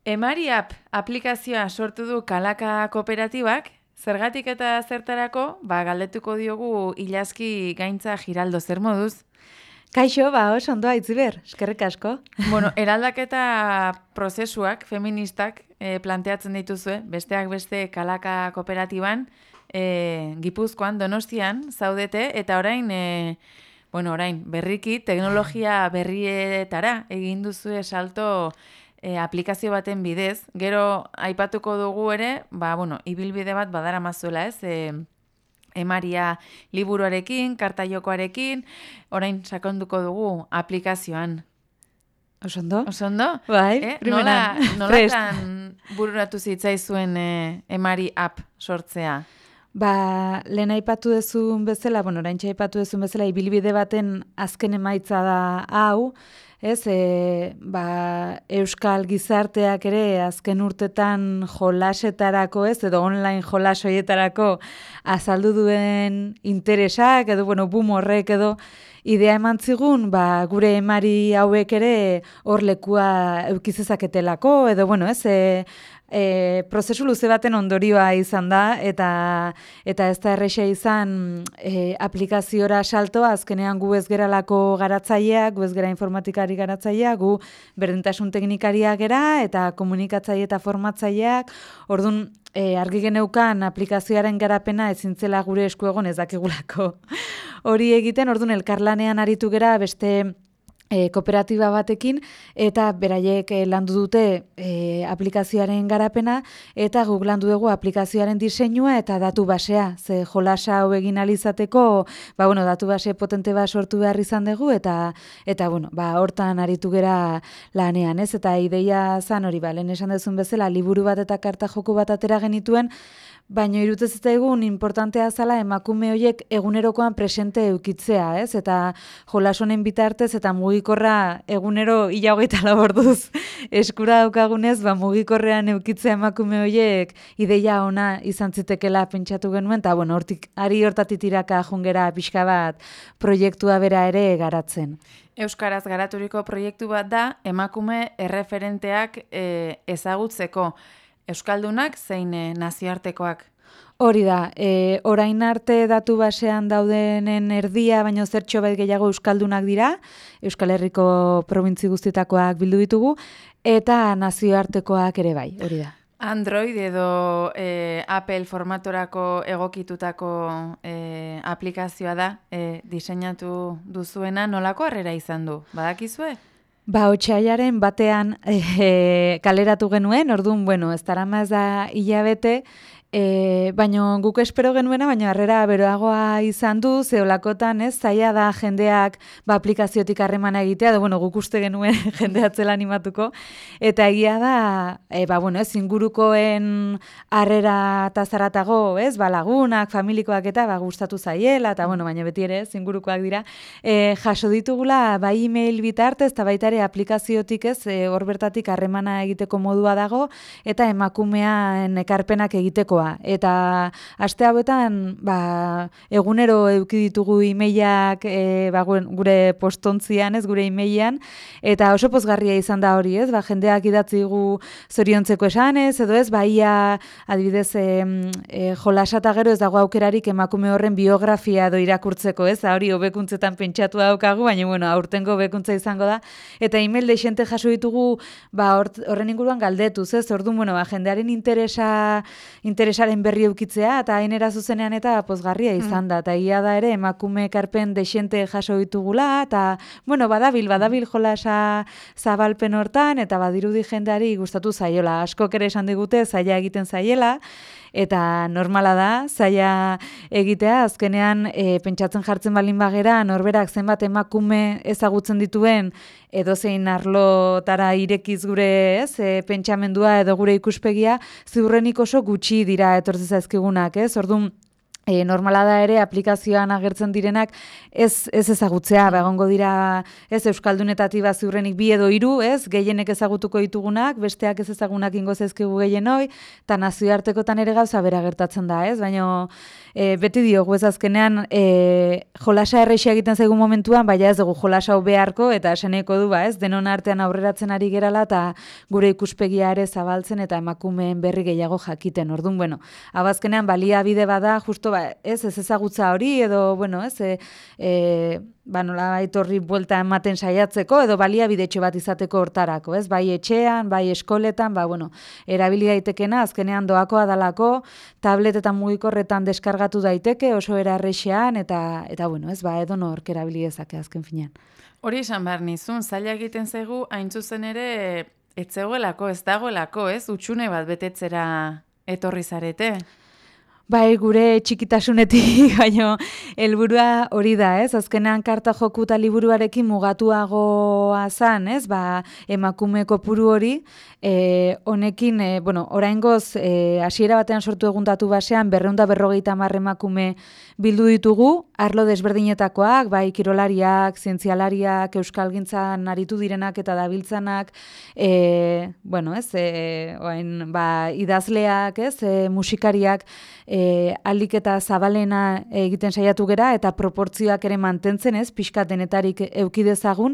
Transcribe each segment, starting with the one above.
Emari App aplikazioa sortu du Kalaka Kooperatibak, zergatik eta zertarako, galdetuko diogu Ilazki Gaintza Giraldo, zer moduz? Kaixo, oso ondo Aitziber, eskerrik asko. Bueno, eraldaketa prozesuak, feministak, planteatzen dituzue, besteak beste Kalaka Kooperatiban, Gipuzkoan, Donostian, zaudete, eta orain berriki, teknologia berrietara egin duzue salto aplikazio baten bidez. Gero aipatuko dugu ere, ibilbide bat badaramazuela, ez? Emaria liburuarekin, kartaiokoarekin, orain sakonduko dugu aplikazioan. Osondo? Osondo? Bai, primeran. Nolatan bururatu zitzaizuen Emari App sortzea? Lehen aipatu dezun bezala, oraintxe aipatu dezun bezala, ibilbide baten azken emaitza da hau, ez, Euskal gizarteak ere azken urtetan jolasetarako, ez, edo online jolasoietarako azaldu duen interesak, edo, boom horrek edo, idea eman zigun, gure emari hauek ere hor lekua eukizezaketelako, edo, prozesu luze baten ondorioa izan da, eta ez da erresa izan aplikaziora saltoa, azkenean gu ez geralako garatzaileak, gu ez gera informatikari garatzaileak, gu berdintasun teknikariak gera, eta komunikatzaile eta formatzaileak, orduan argi geneukan aplikazioaren garapena ezintzela gure esku egon ez dakigulako. Hori egiten, orduan elkarlanean aritu gera beste kooperatiba batekin, eta beraiek landu dute aplikazioaren garapena, eta guk landu dugu aplikazioaren diseinua eta datu basea. Ze jolasa hau egin alizateko, datu base potente bat sortu behar izan dugu, eta hortan aritu gera lanean, ez? Eta ideia zan hori, lehen esan dezun bezala, liburu bat eta karta joko bat atera genituen, baina irutez ez egun importantea zala emakume horiek egunerokoan presente eukitzea, ez? Eta jolasonen bitartez eta mugikorra egunero 24 orduz eskura daukagunez, mugikorrean eukitzea emakume horiek ideia ona izan zitekela pentsatu genuen, eta hortatik tiraka jungera pixka bat proiektua bera ere garatzen. Euskaraz garaturiko proiektu bat da, emakume erreferenteak ezagutzeko. Euskaldunak zein nazioartekoak? Hori da, orain arte datu basean daudenen erdia, baino zertxo bat gehiago euskaldunak dira, Euskal Herriko probintzi guztietakoak bildu ditugu, eta nazioartekoak ere bai, hori da. Android edo Apple formatorako egokitutako aplikazioa da, diseinatu duzuena, nolako harrera izan du? Badakizue? Otsailaren batean kaleratu genuen, orduan, ez darama ez da hilabete, baina guk espero genuena, baina harrera beroagoa izan du, zeolakotan, ez, zaila da jendeak aplikaziotik harremana egitea, guk uste genuen jendeatzela animatuko, eta egia da, ez, ingurukoen harrera eta zaratago, ez, lagunak, familikoak eta gustatu zaiela, eta baina beti ere, ez, ingurukoak dira, jaso ditugula, email bitartez, eta baita ere aplikaziotik, ez, hor bertatik harremana egiteko modua dago, eta emakumean ekarpenak egiteko. Eta aste hauetan egunero eduki ditugu emailak gure postontzian, ez, gure emailean, eta oso pozgarria izan da hori, ez, jendeak idatzi gu zoriontzeko esanez, edo ez, ia adibidez jolasata gero ez dago aukerarik emakume horren biografia edo irakurtzeko, ez, hori hobekuntzetan pentsatu daukagu, baina aurtengo hobekuntza izango da, eta email deixente jaso ditugu horren inguruan galdetuz, ez, orduan, jendearen interesaren berri eukitzea, eta hainera zuzenean eta pozgarria izan da, eta ia da ere emakume ekarpen dexente jaso ditugula, eta, badabil jolasa zabalpen hortan, eta badirudi jendeari gustatu zaiola. Askok ere esan digute zaila egiten zaiela, eta normala da, zaila egitea, azkenean pentsatzen jartzen balin bagera, norberak zenbat emakume ezagutzen dituen, edozein arlotara irekiz gure, ez, pentsamendua edo gure ikuspegia, ziurrenik oso gutxi dira etortzen zaizkigunak, ez? Orduan, normala da ere aplikazioan agertzen direnak ez ezagutzea, egongo dira ez euskaldunetatik ziurrenik 2 edo 3, ez, gehienek ezagutuko ditugunak, besteak ez ezagunak ingo zaizkigu gehienoi, eta nazioartekotan ere gauza bera gertatzen da, ez, baina beti diogu ez azkenean jolasa errexia egiten zaigu momentuan, baina ez dugu jolasa hau beharko, eta esaneko du, ez, denon artean aurreratzen ari gerala, eta gure ikuspegia ere zabaltzen, eta emakumeen berri gehiago jakiten, orduan, bueno, abazkenean baliabide bada, justo ez ezagutza hori, edo, bueno, ez, nolabait horri buelta ematen saiatzeko, edo baliabidetxo bat izateko hortarako, ez, bai etxean, bai eskoletan, erabili daitekena, azkenean doakoa dalako, tabletetan mugikorretan deskargatu daiteke, oso erarrexean, eta bueno, ez, edo nork erabili dezake azken finean. Hori esan behar nizun, zaila egiten zaigu, hain zuzen ere, ez zegoelako, ez dagoelako, ez, utxune bat betetzera etorri zarete. Bai, gure txikitasunetik, baina helburua hori da, ez? Azkenean karta joku eta liburuarekin mugatuagoa zan, ez? Emakume kopuru hori, honekin, oraingoz, hasiera batean sortu eguntatu basean, 250 emakume bildu ditugu, arlo desberdinetakoak, bai, kirolariak, zientzialariak, euskalgintzan aritu direnak eta dabiltzanak, idazleak, ez? Musikariak, aldik eta zabalena egiten saiatu gera, eta proportzioak ere mantentzen, ez, pixkat denetarik eukidezagun,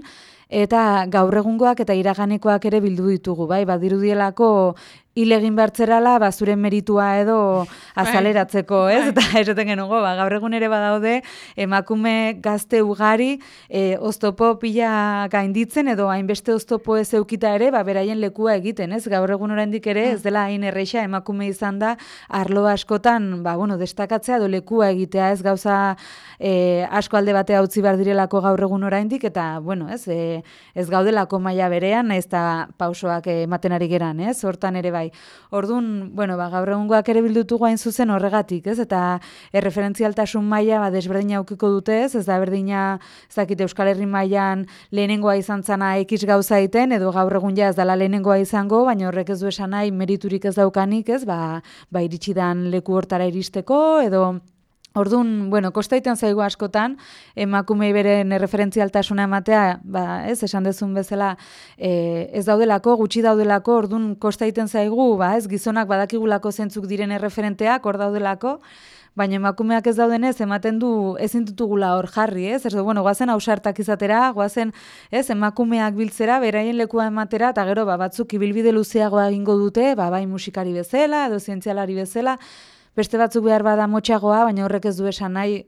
eta gaur egungoak eta iraganekoak ere bildu ditugu, bai, badirudielako hil egin behartzerala, zure meritua edo azaleratzeko, ez? Eta esaten genugo, gaur egun ere badaude, emakume gazte ugari, oztopo pila gainditzen, edo hainbeste oztopo ez eukita ere, beraien lekua egiten, ez? Gaur egun oraindik ere, ez dela hain erreixa, emakume izan da, arlo askotan, destakatzea, edo lekua egitea, ez gauza asko alde batea utzi behar direlako gaur egun oraindik, eta, ez gaudelako maila berean, ez da pausoak ematen ari geran, ez? Hortan ere bai. Orduan, gaur egungoak ere bildutugu hain zuzen horregatik, ez? Eta erreferentzialtasun maila desberdina aukiko dute, ez da berdina, ez dakit Euskal Herri mailan lehenengoa izan zana X gauza egiten, edo gaur egun ez dela lehenengoa izango, baina horrek ez du esan nahi meriturik ez daukanik, ez? Iritsi dan leku hortara iristeko, edo orduan, kostaiten zaigu askotan, emakumei beren erreferentzialtasuna ematea, ez, esan dezun bezala, ez daudelako, gutxi daudelako, orduan kostaiten zaigu, ez, gizonak badakigulako zentzuk diren erreferenteak, hor daudelako, baina emakumeak ez daudenez, ematen du ezin ditugula hor jarri, ez? Goazen ausartak izatera, goazen, ez, emakumeak biltzera, beraien lekua ematera, eta gero, batzuk ibilbide luzeagoa egingo dute, bai musikari bezala, edo zientzialari bezala, beste batzuk behar bada motxagoa, baina horrek ez du esan nahi,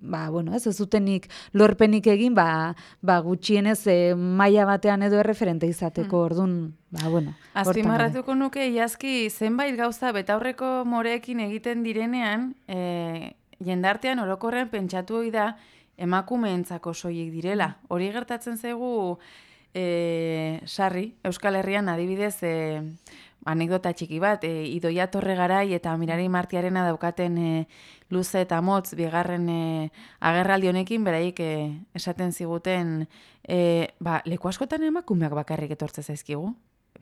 ez dutenik lorpenik egin, gutxienez maila batean edo erreferente izateko, orduan, Azpimarratuko nuke, iazki, zenbait gauza betaurreko moreekin egiten direnean, jendartean orokorrean pentsatu hori da emakumeentzako soilik direla. Hori gertatzen zaigu, sarri, Euskal Herrian adibidez, anekdota txiki bat, Idoia Torregarai eta Mirari Martiarena daukaten luze eta motz bigarren agerraldi honekin, beraik esaten ziguten, leku askotan emakumeak bakarrik etortze zaizkigu,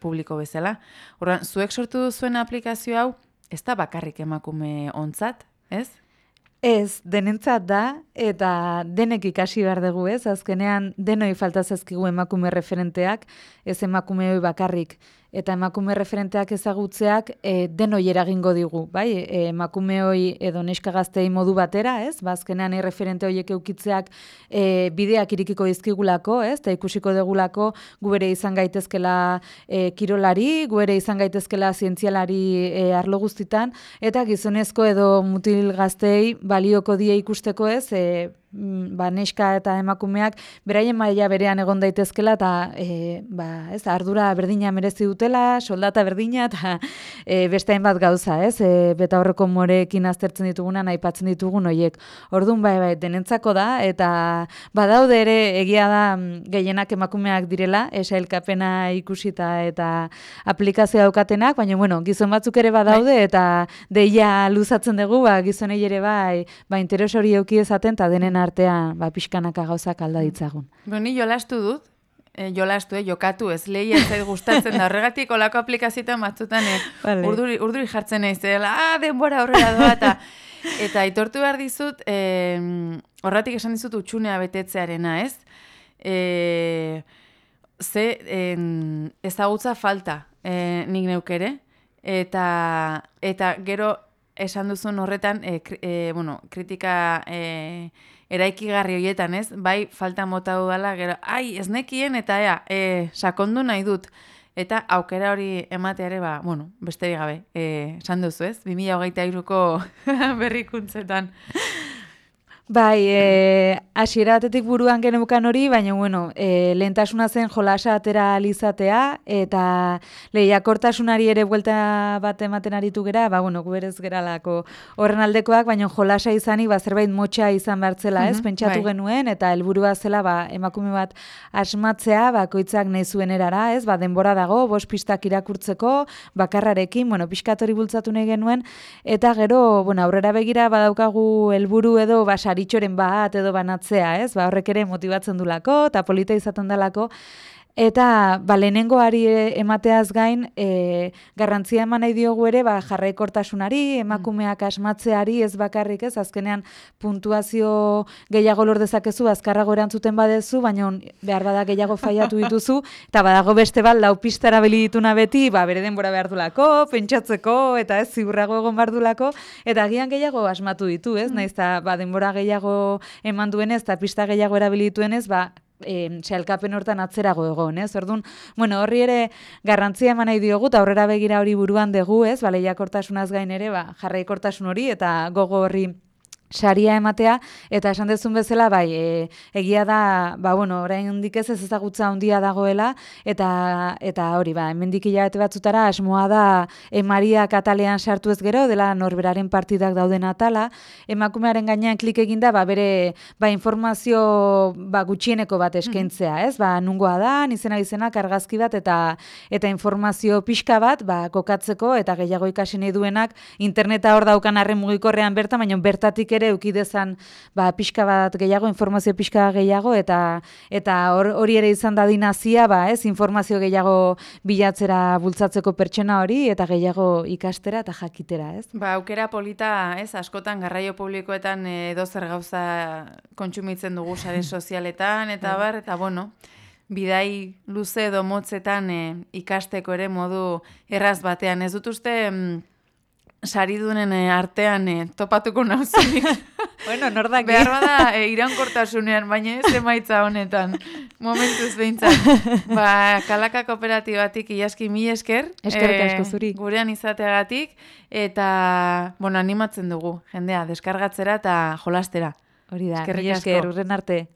publiko bezala. Horren, zuek sortu duzuen aplikazio hau, ez da bakarrik emakume ontzat, ez? Ez, denentzat da, eta denek ikasi behar dugu, ez? Azkenean, denoi falta zaizkigu emakume referenteak, ez emakume hoi bakarrik. Eta emakume referenteak ezagutzeak denoi eragingo digu, bai? Emakume hoi edo neska gaztei modu batera, ez? Azkenean referente horiek eukitzeak bideak irikiko dizkigulako, ez? Eta ikusiko degulako gu ere izan gaitezkela kirolari, gu ere izan gaitezkela zientzialari arlo guztitan, eta gizonezko edo mutil gaztei balioko die ikusteko, ez? Neska eta emakumeak beraien maila berean egon daitezkela eta ez, ardura berdina merezi dutela, soldata berdina eta beste hainbat gauza, ez? Betaurreko moreekin aztertzen ditugunan, aipatzen ditugun horiek. Orduan bai, denentzako da, eta badaude ere egia da gehienak emakumeak direla, sailkapena ikusita eta aplikazioa daukatenak, baina gizon batzuk ere badaude eta deia luzatzen dugu, gizonei ere bai, interes hori euki ezaten eta denen artean pixkanaka gauzak alda ditzagun. Ni jolastu dut, jokatu ez, lehi ez zait gustatzen da, horregatik olako aplikazioetan batzutan urduri jartzen naiz, denbora horrela doa, eta Eta aitortu behar dizut, horratik esan dizut utxunea betetzearena, ez? Ezagutza falta nik neukere, eta gero esan duzun horretan, kritika eraikigarri horietan, ez? Bai, falta mota dudala, gero, ez nekien, eta sakondu nahi dut. Eta aukera hori emateare, besterik gabe, esan duzu, ez? 2023ko berrikuntzetan. Bai, hasiera batetik buruan geneukan hori, baina lehentasuna zen jolasa atera alizatea, eta lehiakortasunari ere buelta bat ematen aritu gera, guberez geralako horren aldekoak, baina jolasa izanik, zerbait motxa izan behartzela, ez? Pentsatu genuen, eta helburua zela, emakume bat asmatzea, bakoitzak nahi zuen erara, ez? Denbora dago, 5 pistak irakurtzeko, bakarrarekin, pixkatori bultzatu nahi genuen, eta gero, aurrera begira badaukagu helburu edo, saritxoren bat edo banatzea, ez? Horrek ere motibatzen dulako, eta polita izaten dalako. Eta lehenengoari emateaz gain, garrantzia eman nahi diogu ere, jarraikortasunari, emakumeak asmatzeari, ez bakarrik, ez? Azkenean puntuazio gehiago lor dezakezu, azkarrago erantzuten badezu, baina behar bada gehiago faiatu dituzu, eta badago beste bat, 4 pista erabili dituna beti, bere denbora behar dulako, pentsatzeko, eta ez ziurrago egon behar dulako, eta agian gehiago asmatu ditu, ez? Naiz, eta denbora gehiago eman duenez, eta pista gehiago erabili dituenez, sailkapen hortan atzerago egon, ez? Orduan, horri ere garrantzia eman nahi diogu, eta aurrera begira hori buruan dugu, ez? Lehiakortasunaz gain ere, jarraikortasun hori, eta gogo horri saria ematea, eta esan dezun bezala, egia da, oraindik ez ezagutza handia dagoela, eta hori, hemendik hilabete batzutara, asmoa da, Maria atalean sartu ez gero, dela norberaren partidak dauden atala, emakumearen gainean klik eginda, bere, informazio, gutxieneko bat eskaintzea, ez? Nungoa da, izenak argazki bat, eta informazio pixka bat, kokatzeko, eta gehiago ikasi nahi duenak, interneta hor daukan arren mugikorrean bertan, baina bertatik ere eukidezan pixka bat gehiago, informazio pixka gehiago, eta hori ere izan da dinazia, ez, informazio gehiago bilatzera bultzatzeko pertsona hori, eta gehiago ikastera eta jakitera, ez? Aukera polita, ez, askotan garraio publikoetan edozer gauza kontsumitzen dugu sare sozialetan, eta bidai luze edo motzetan ikasteko ere modu erraz batean. Ez dut uste saridunen artean topatuko nauzunik. Nordak. Behar bada iraunkortasunean, baina ez emaitza honetan. Momentuz behintzat. Kalaka kooperatibatik ilaski 1000 esker. Eskerrik asko zuri. Gurean izateagatik. Eta, animatzen dugu. Jendea, deskargatzera eta jolastera. Hori da, 1000 esker, urren arte.